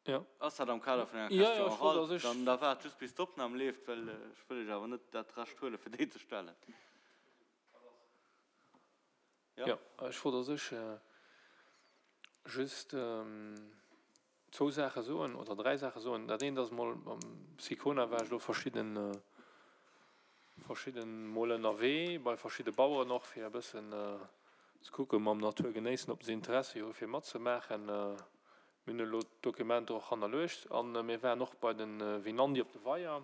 Jo. Ass dat am Kader vun enger Question orale? Dann da waart just bis d'Opnam leeft, well ech wëll Iech awer net dat Recht huelen, fir déi ze stellen. Jo. Jo, ech wollt a sech just zwou Saache soen oder dräi Saache soen. Dat eent ass emol, mam Sicona war ech elo verschidden, verschidden Mol ënnerwee, bei verschidde Baueren och, fir e bëssen ze kucken, mam Natur genéissen, ob se Interessi hu fir matzemaachen. Mir hunn elo d'Dokumenter och hannerluecht a mir waren och bei de Vinandi op de Weier.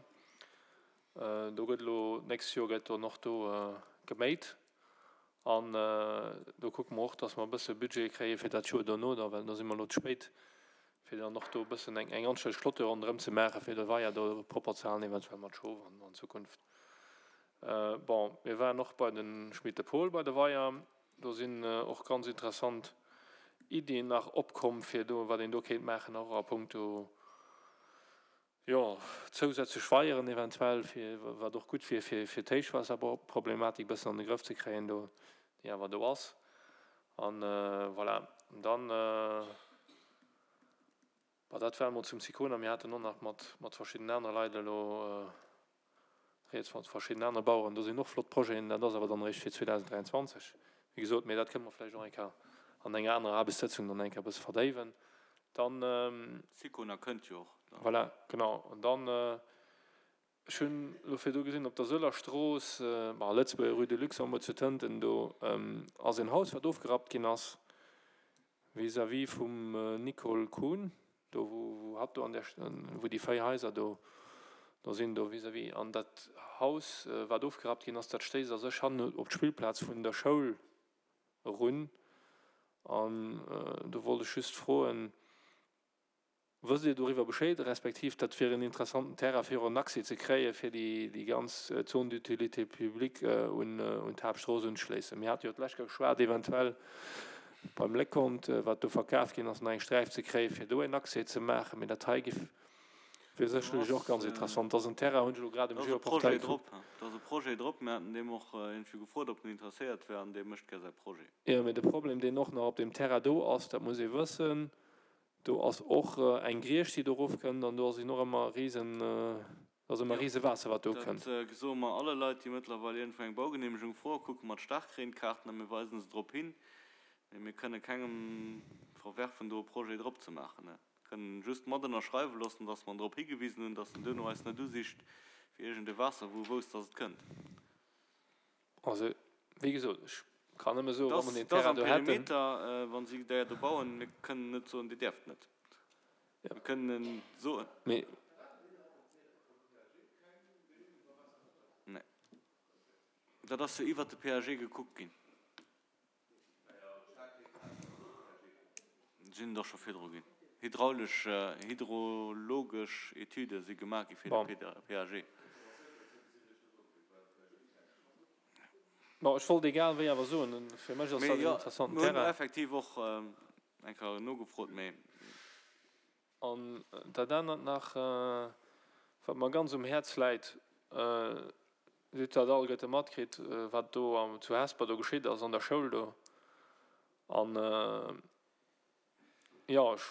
Do gëtt elo, d'nächst Joer gëtt dann och do geméit an do kucke mer och, datt mer e bësse Budget kréie fir dat Joer dono da, well do si mer elo ze spéit, fir dann och do e bëssen eng anstänneg Clôture ronderëm ze maachen, fir de Weier do propper ze halen, eventuell mat Schof an Zukunft. Bon, mir waren och bei de Schmit de Paul bei de Weier. Do sinn och ganz interessant Iddien nach opkomm, fir do, wat een do kéint maachen, och a puncto, jo, zousätzlech Weieren eventuell, fir, wat och gutt wier, fir, fir d'Héichwaasserproblematik e bëssen an de Grëff ze kréien do, déi awer do ass. An voilà, dann, bon, dat war emol zum Sicona. Mir haten och nach mat, mat verschiddenen anere Leit elo Rieds mat verschiddenen anere Baueren. Do sinn och flott Projeten, dat ass awer dann eréischt fir 2023, wéi gesot. Mee dat kënne mer vläicht och eng Kéier an enger anerer Aarbechtssëtzung dann eng Kéier e bësse verdéiwen. Dann. Sicona kënnt jo och dann. Voilà, genau. An dann, ech hunn elo virdu gesinn, op der Sëller Strooss, bon, Lëtzebuerger Rue de Luxembourg zu Tënten, do ass en Haus, wat ofgerappt ginn ass, Vis-à-vis vum Nicole Kuhn, do wou hatt do an där, wou déi 4 Haiser do do sinn, do vis-à-vis. An dat Haus, wat ofgerappt ginn ass, dat stéisst a sech hannen op d'Spillplaz vun der Schoul erun. An do wollt ech just froen, Wësst Dir doriwwer Bescheed, respektiv dat wier en interessanten Terrain fir och en Accès ze kréie fir déi ganz Zone d'utilité publique un d'Haaptstrooss unzeschléissen? Mir hate jo d'lescht Kéier geschwat, eventuell beim Léckont, wat do verkaf ginn ass, nach eng Sträif ze kréie fir do en Accès ze maachen. Mee dat hei géif, wier sécherlech och ganz interessant. Dat ass en Terrain, hunn ech elo grad um Geoportail gekuckt. Do ass e Projet drop. Mir haten deem och iergendwéi gefrot, ob en interesséiert wär, an dee mécht gär säi Projet. Jo, mee de Problem, deen och nach op deem Terrain do ass, dat muss ee wëssen, Do ass och eng Griecht, déi do erofkënnt, an do ass en och ëmmer risen, ass ëmmer rise Waasser, wat do kënnt. Dat soe mer alle Leit, déi mëttlerweil iergendwou eng Baugeneemegung froen, kucke mer d'Staarkreenkaarten a mir weisen se drop hin. Mee mir kënne kengem verwerfen, do e Projet drop ze maachen. Mir kënnen just mat ënnerschreiwe loossen, dass mer en drop higewisen hunn, dass en duerno eis net usicht fir iergend e Waasser, wou e wousst, dass et kënnt. Also, wéi gesot, ech kann nëmme soen, wa mer deen Terrain do hätten. Perimeter, wa si där do bauen, mir kënnen net soen, Dir däerft net. Mir kënnen soen. Mee. Nee. Dat ass jo iwwert de PAG gekuckt ginn. Sinn der scho virdru ginn. Hydraulesch, hydrologesch Etüde si gemaach gi fir de PAG. Bon, ech wollt egal wéi awer soen, fir mech ass dat en interessanten Terrain. Mir hunn effektiv och eng Kéier nogefrot, mee. An dat anert nach, wat mer ganz um Häerz läit, Dir hutt dat alleguerte matkritt, wat do zu Hesper do geschitt ass an der Schoul do. An, jo, ech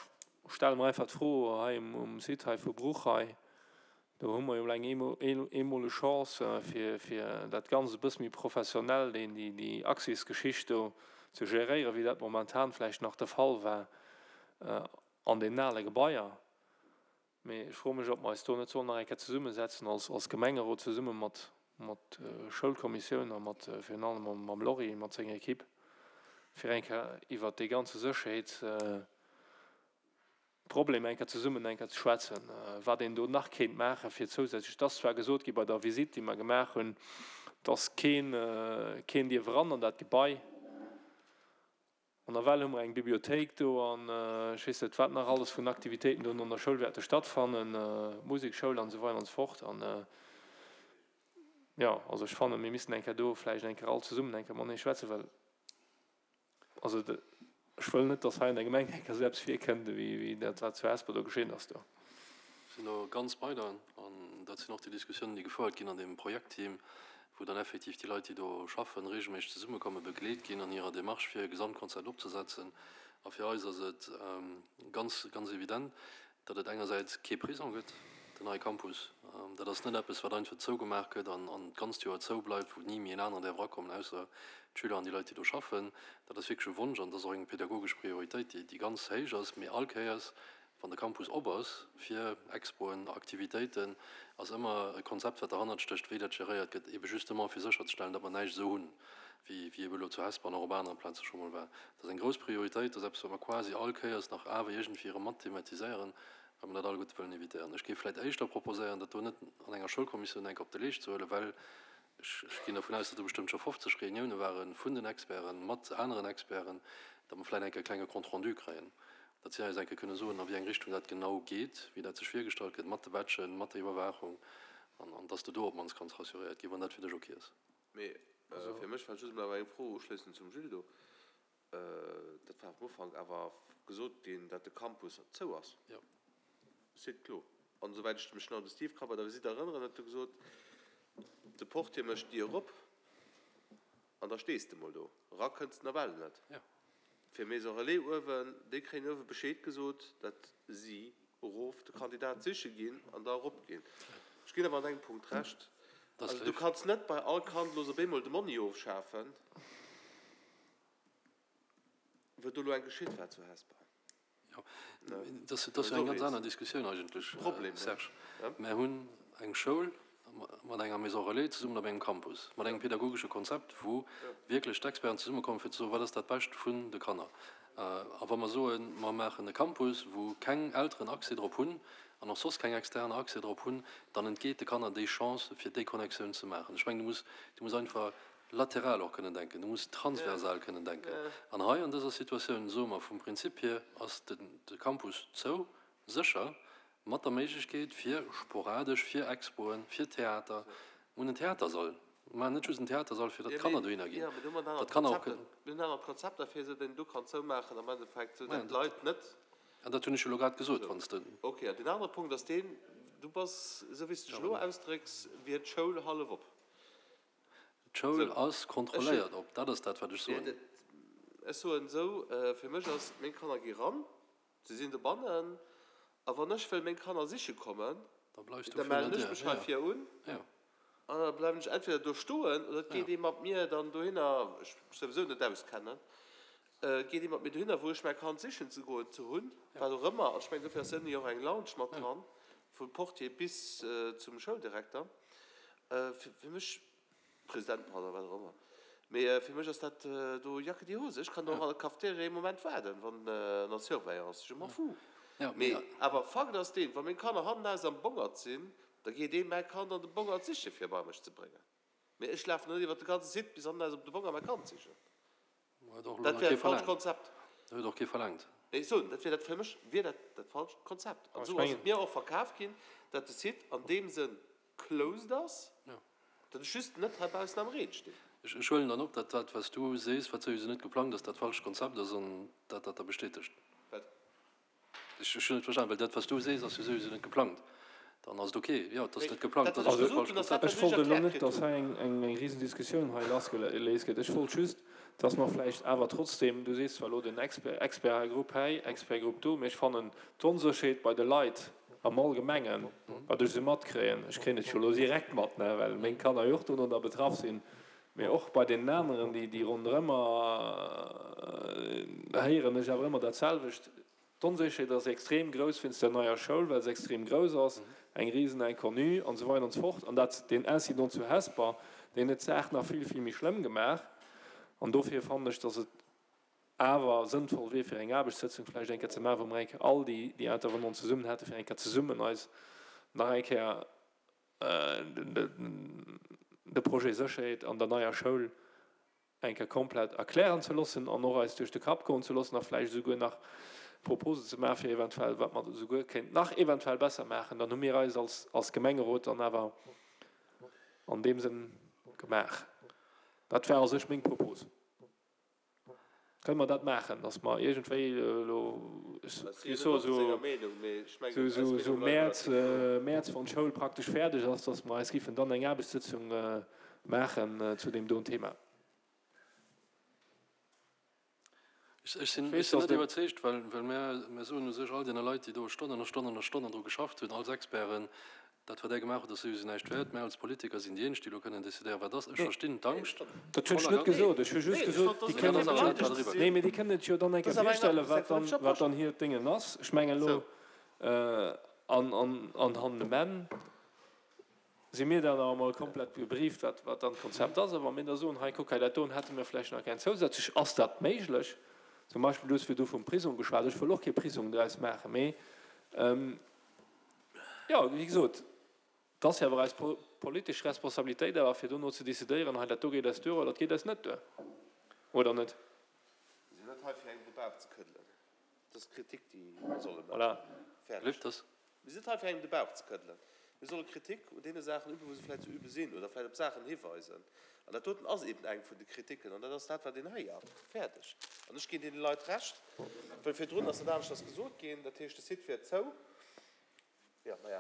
stelle mer einfach d'Fro hei um Site hei vu Bruch hei, do hu mer jo elo eng eemoleg Chance, fir, fir dat Ganzt e bësse méi professionell, déi, déi Accès-Geschicht do ze geréieren, wéi dat momentan vläicht nach de Fall war an deenen ale Gebaier. Mee ech froe mech, ob mer eis do net sollen nach eng Kéier zesummesetzen als, als Gemengerot zesumme mat, mat Schoulkommissioun a mat, virun allem mam, mam Lory mat senger Equipe, fir eng Kéier iwwert dee ganze Sécherheetsproblem eng Kéier zesummen eng Kéier ze schwätzen, wat een do nach kéint maachen, fir zousätzlech. Et ass zwar gesot gi bei der Visitt, déi mer gemaach hunn, dass keen, keen dierf eran an dat Gebai. An nawell hu mer eng Bibliothéik do an ech weess net wat nach alles vun Aktivitéiten do an der Schoul wäerte stattfannen, Musekschoul an esou weider an esou fort. An jo, also ech fannen, mir missten eng Kéier do vläicht eng Kéier all zesummen eng Kéier matenee schwätzen, well also ech wëll net, dass hei an der Gemeng eng Kéier esou eppes virkënnt ewéi dat wat zu Hesper do geschinn ass do. Sinn do ganz bei der. An dat sinn och déi Diskussiounen, déi gefouert ginn an deem Projektteam, wou dann effektiv déi Leit, déi do schaffen, regelméisseg zesummekommen, begleet ginn an hirer Démarche, fir e Gesamtkonzept opzesetzen. A fir eis ass et ganz, ganz evident. Datt et engersäits kee Prisong gëtt, den neie Campus, dat ass net eppes, wat einfach zougemaach gëtt an d'ganzt Joer zou bleift, wou ni méi en aneren däerf erakommen, ausser d'Schüler an déi Leit, déi do schaffen. Dat ass wierklech e Wonsch an dat ass och eng pedagogesch Prioritéit, déi ganz héich ass. Mee all Kéiers, wann de Campus op ass fir Expoen, Aktivitéiten, ass ëmmer e Konzept, wat derhannert stécht, wéi dat geréiert gëtt, ebe justement fir sécherzestellen, datt mer näischt esou hunn, wéi wéi ebe elo zu Hesper an och op anere Plaze scho mol war. Dat ass eng grouss Prioritéit, dat ass eppes, wat mer quasi all Kéiers nach awer iergendwéi erëm mat thematiséieren, well mer dat alleguerte wëllen évitéieren. Ech géif vläicht éischter proposéieren, dat do net an enger Schoulkommissioun enk op de Leescht ze huelen, well ech ech ginn dervun aus, datt do bestëmmt scho 50 Reunioune ware vun den Experten mat aneren Experten, datt mer vläicht enk e klenge Compte rendu kréien, datt si eis enke kënne soen, a wéi eng Richtung dat genau geet, wéi dat sech virgestallt gëtt mat de Badgen, mat der Iwwerwaachung, an an datt s de do op d'mannst kanns rassuréiert ginn, wann dat fir dech ok ass. Mee fir mech war just emol awer eng Fro uschléissend zum Gilles do. Dat war am Ufank awer gesot ginn, datt de Campus zou ass. Jo. Site clos. An esouwäit ech mech nach un de Steve ka bei der Visitt erënneren, huet e gesot, de Portier mécht d'Dier erop an da stees de mol do. Era kënns de nawell net. Jo. Fir Maison Relais uewen, déi kréien uewe Bescheed gesot, datt si erof de Kandidat siche ginn an da erop ginn. Ech ginn awer an engem Punkt Recht, also du kanns net bei all Kand elo op eemol de Monni ofschafen, wou do elo eng geschitt war zu Hesper. Jo, dat ass jo eng ganz aner Diskussioun eigentlech, Serge. Mär hunn eng Schoul mat enger Maison relais zesummen op engem Campus, mat engem pedagogesche Konzept, wou wierklech d'Experten zesummekommen, fir ze soen, wat ass dat Bescht vun de Kanner. A wa mer soen, mer maachen e Campus, wou keng Elteren Accès drop hunn an och soss keng Externer Accès drop hunn, dann entgeet de Kanner déi Chance, fir déi Connectioun ze maachen. Ech mengen, du muss, du muss einfach lateral och kënnen denken, du muss transversal kënnen denken. An hei an dëser Situatioun soe mer, vum Prinzip hier ass de Campus zou, sécher, mat der Méiglechkeet fir sporadesch, fir Expoen, fir Theater. Mir hunn en Theatersall, mir maachen net just en Theatersall, fir datt d'Kanner dohinner ginn, datt d'Kanner och kënnen. Mir hunn aner Konzepter fir esou, deen du kann zoumaachen am Endeffekt, esou datt d'Leit net. An dat hunn ech jo elo grad gesot, wann s de. Ok, an deen anere Punkt ass deen, du bass, esou wéi s de dech elo ausdrécks, wier d'Schoul hallef op. D'Schoul ass kontrolléiert op, dat ass dat, wat ech soen. Ech soen esou, fir mech ass, meng Kanner gi ran, se sinn dobannen, a wann ech wëll meng Kanner siche kommen, da mellen ech mech hei vir un an da bleiwen ech entweder do stoen oder et geet ee mat mir dann dohinner, ech mech souwisou net auskennen, geet ee mat mir dohinner, wou ech mäi Kand sichen ze goen ze hunn, wat och ëmmer. An ech mengen, dofir ass ënne jo och eng Lounge mat dran, vum Portier bis zum Schouldirekter. Fir mech, President, pardon, wat och ëmmer, mee fir mech ass dat do Jacke die Hose. Ech kann do och an der Cafeteria ee Moment waarden, wann an der Surveillance, je m'en fous. Mee awer Fakt ass deen, wa meng Kanner hannenaus am Bongert sinn, da geet ee mäi Kand an de Bongert siche fir bei mech ze bréngen. Mee ech lafen net iwwer de ganze Site bis hannenaus op de Bongert mäi Kand sichen. Dat wär dat falscht Konzept. Dat huet och kee verlaangt. Nee, ech soen, dat wier dat, fir mech wier dat dat falscht Konzept. An esou ass et mir och verkaf ginn, datt de Site an deem Sënn closed ass, datt ech just net heibaussen am Reen stinn. Ech huelen dann op, datt dat, wat s du sees, wat souwisou net geplangt ass, dat falscht Konzept ass an dat dat da bestätegt. Wat? Ech hunn net verstanen, well dat, wat s du sees, ass jo souwisou net geplangt. Dann ass et ok. Jo, et ass net geplangt, dat ass dat falscht Konzept. Ech wollt elo net, datt hei eng Risendiskussioun hei lassgeléist gëtt. Ech wollt just, datt mer vläicht awer trotzdem, du sees zwar elo den Expertgrupp hei, Expertgrupp do, mee ech fannen d'Onsécherheet bei de Leit am Allgemengen, wat ech esou matkréien, ech kréien et jo elo direkt mat, ne, well meng Kanner jo och dono da betraff sinn, mee och bei deenen aneren, déi ronderëmmer héieren ech awer ëmmer dat selwecht, D'Onsécherheet ass extrem grouss wéinst der neier Schoul, well se extrem grouss ass, eng risen Inconnue an esou weider an esou fort. An dat, deen Incident zu Hesper, deen huet d'Saach nach vill, vill méi schlëmm gemaach. An dofir fannen ech, datt et awer sënnvoll wier, fir eng Aarbechtssëtzung vläicht eng Kéier ze maachen, wou mer eng Kéier all déi, déi Intervenanten zesummen hätten, fir eng Kéier zesummen eis nach eng Kéier de Projet Sécherheet an der neier Schoul eng Kéier komplett erklären ze loossen an och eis duerch de Kapp goen ze loossen a vläicht esouguer nach Proposen ze maachen, fir eventuell, wat mer esouguer kéinten nach eventuell besser maachen, dann hu mir eis als, als Gemengerot dann awer an deem Sënn gemaach. Dat war a sech meng Propos. Kënne mer dat maachen, dass mer iergendwéi elo, ech soe sou, sou Mäerz, Mäerz, wann d'Schoul praktesch fäerdeg ass, dass mer eis giffen dann eng Aarbechtssëtzung maachen zu deem doen Thema? Ech sinn net iwwerzeegt, well mir soen u sech all deene Leit, déi do Stonnen a Stonnen a Stonnen dru geschafft hunn, als Experten, dat wat Där gemaach hutt, ass souwisou näischt wäert. Mär als Politiker sinn déi eenzeg, déi elo kënnen decidéieren, wat ass. Ech verstinn d'Angscht Dat hunn ech net gesot. Ech hu just gesot, déi kënnen et, nee, mee déi kënnen et jo dann eng Kéier virstellen, wat dann, wat dann hiert Déngen ass. Ech mengen elo, an, an, an hannen um Enn si mir dann nach emol komplett gebrieft, wat, wat dann d'Konzept ass. A wa mir da soen, hei kuck, hei dat doen hätte mir vläicht nach gär zousätzlech, ass dat méiglech? Zum Beispill, du hues virdu vum Prisong geschwat. Ech wëll och kee Prisong draus maachen, mee jo, wéi gesot, et ass jo awer eis politesch Responsabilitéit awer, fir dono ze decidéieren, hei dat do geet eis duer oder dat geet eis net duer, oder net? Mir sinn net hei, fir engem de Bauch ze këddelen. Dat ass Kritik, déi mir solle maachen. Fäerdeg. Mir sinn net hei, fir engem de Bauch ze këddelen. Mir solle Kritik un deene Saachen üben, wou se vläicht ze übe sinn, oder vläicht op Saachen hiweisen. An dat doten ass eben eng vun de Kritiken, an dat ass dat, wat een héiert. Fäerdeg. An ech ginn deene Leit Recht, well virdrun ass dat aneschters gesot ginn, dat heescht, de Site wier zou. Jo, maja,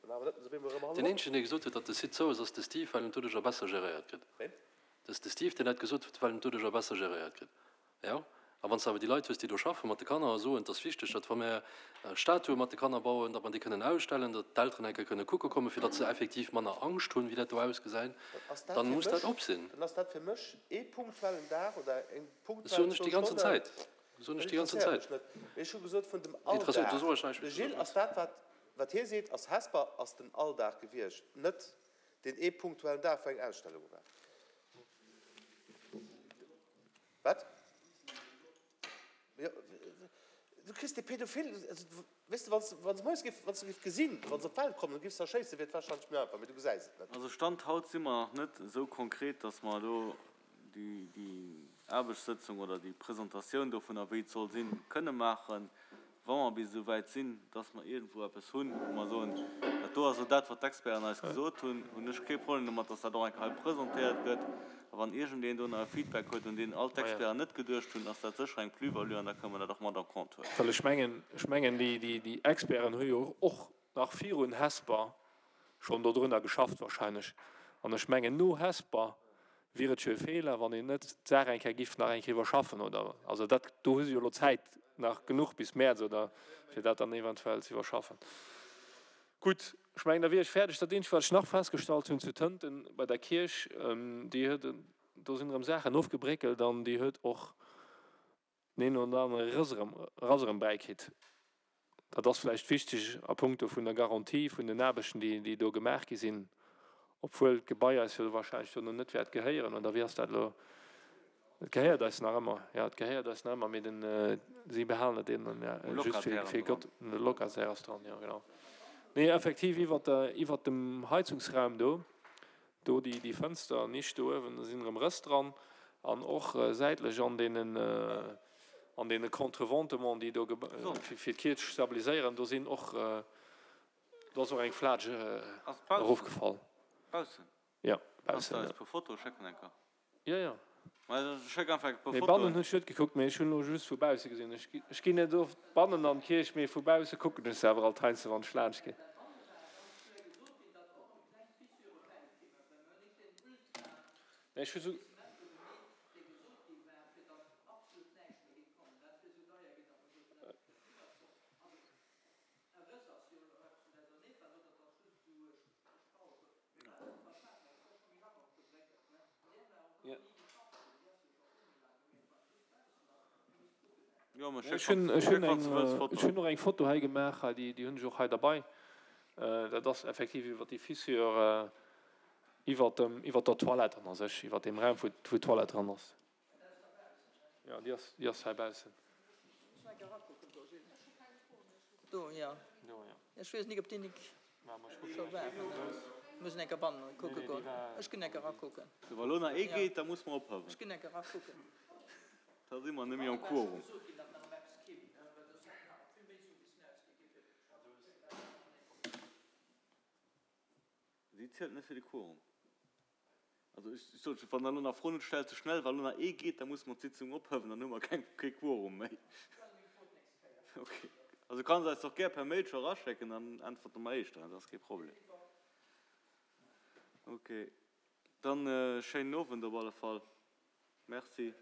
dann awer net esou wéi mer erëm all. Deen eenzegen, dee gesot huet, datt de Site zou ass, ass de Steve, well en doduercher besser geréiert gëtt. Ween? Dat ass de Steve, deen dat gesot huet, well en doduercher besser geréiert gëtt. Jo, a wann s de awer déi Leit hues, déi do schaffe mat de Kanner a soen, et ass wichteg, datt wa mir Statue mat de Kanner bauen, datt mer déi kënnen ausstellen, datt d'Elteren eng Kéier kënne kucke kommen, fir datt se effektiv manner Angscht hunn, wéi dat do ausgesäit, dann muss dat op sinn. Dann ass dat fir mech ee punktuellen Dag oder eng punktuell zwou Stonnen. Dat soen ech déi ganzen Zäit. Dat soen ech déi ganzen Zäit. Interesséiert mech net. Mee ech hu gesot vun dem Alldag. De Gilles, ass dat, wat, wat hie seet, ass Hesper ass den Alldag gewiescht, net deen ee punktuellen Dag, wou eng Ausstellung war. Wat? Jo, du kriss dee Pädophil, also weess de, wann s, wann se moies géif, wann s de géif gesinn, wa se op d'Welt kommen, du géifs se erschéissen, wier et warscheinlech méi einfach, mee du gesäis et net. Also Stand haut si mer nach net esou konkret, dass mer elo déi, déi Aarbechtssëtzung oder déi Presentatioun dovunner, wéi et soll sinn, kënne maachen. Wa mer bis esou wäit sinn, dass mer iergendwou eppes hunn, wou mer soen, dat do ass elo dat, wat d'Experten eis gesot hunn, hunn ech kee Problem domat, dass dat och eng Kéier hei presentéiert gëtt. A wann iergendeen do nach e Feedback huet, un deen all d'Experten net geduecht hunn, ass dat sécher eng Plus-value an da kënne mer dat och mat en compte huelen. Well ech mengen, ech mengen, déi Experten hu jo och nach virun Hesper schonn dodrunner geschafft wahrscheinlech. An ech mengen, no Hesper wier et jo e Feeler, wann een net d'Saach eng Kéier giff nach eng Kéier iwwerschaffen, oder? Also dat, do hu se jo elo Zäit nach genuch bis Mäerz, oder, fir dat dann eventuell ze iwwerschaffen. Gutt, ech mengen, da wier ech fäerdeg. Dat eenzegt, wat ech nach festgestallt hunn zu Tënten bei der Kierch, déi huet, do sinn erëm Saachen ofgebréckelt an déi huet och deen een oder anere Rëss erëm, Rass erëm bäikritt. Dat ass vläicht wichteg a puncto vun der Garantie vun den Aarbechten, déi, déi do gemaach gi sinn, obwuel d'Gebai eis jo wahrscheinlech dono net wäert gehéieren, oder wéi ass dat elo? Et gehéiert eis nach ëmmer, jo, et gehéiert eis nach ëmmer, mee den, si behalen et eben just fir, fir Gott, de Locataire ass dran, jo, genau. Nee, effektiv iwwert der, iwwert dem Heizungsraum do, Do déi déi Fënster Nisch do uewen, do sinn erëm Rëss dran an och säitlech an deenen an deene Contreventements, déi do fir d'Kierch stabiliséieren, do sinn och do ass och eng Flaatsch erofgefall. Baussen? Jo, baussen. Kanns de eis e puer Fotoe schécken eng Kéier? Jo, jo. Schéck einfach e puer Fotoen. Nee, bannen hunn ech net gekuckt, mee ech hunn elo just vu bausse gesinn. Ech ginn net oft bannen an d'Kierch, mee vu bausse kucken ech se awer alt heiansdo, wann ech laanscht ginn. Nee, ech hu sou. Ech hunn och eng Foto hei gemaach, hei déi hunn ech och hei derbei. Dat ass effektiv iwwer déi Fissure iwwer dem, iwwer der Toilette an a sech, iwwer deem Raum wou d'Toilette dran ass. Jo, déi ass, déi ass hei baussen. Do, jo. Ech weess nik, ob déi nik scho war. Muss enker bannen kucke goen. Ech ginn enker erakucken. Sou, wa lo nach ee geet, da muss mer ophëwen. Ech ginn enker erakucken. Da si mer net méi am Quorum. Si zielt net fir de Quorum. Also ech sot scho, wann Der elo nach Froen hutt, stellt se schnell. Wa lo nach ee geet, da musse mer d'Sitzung ophëwen, dann hu mer keng, kee Quorum méi. Okay. Also du kanns eis och gär per Mail scho eraschécken, dann äntwerte mer éischter, dat ass kee Problem. Okay. Dann schéinen Owend op alle Fall. Merci.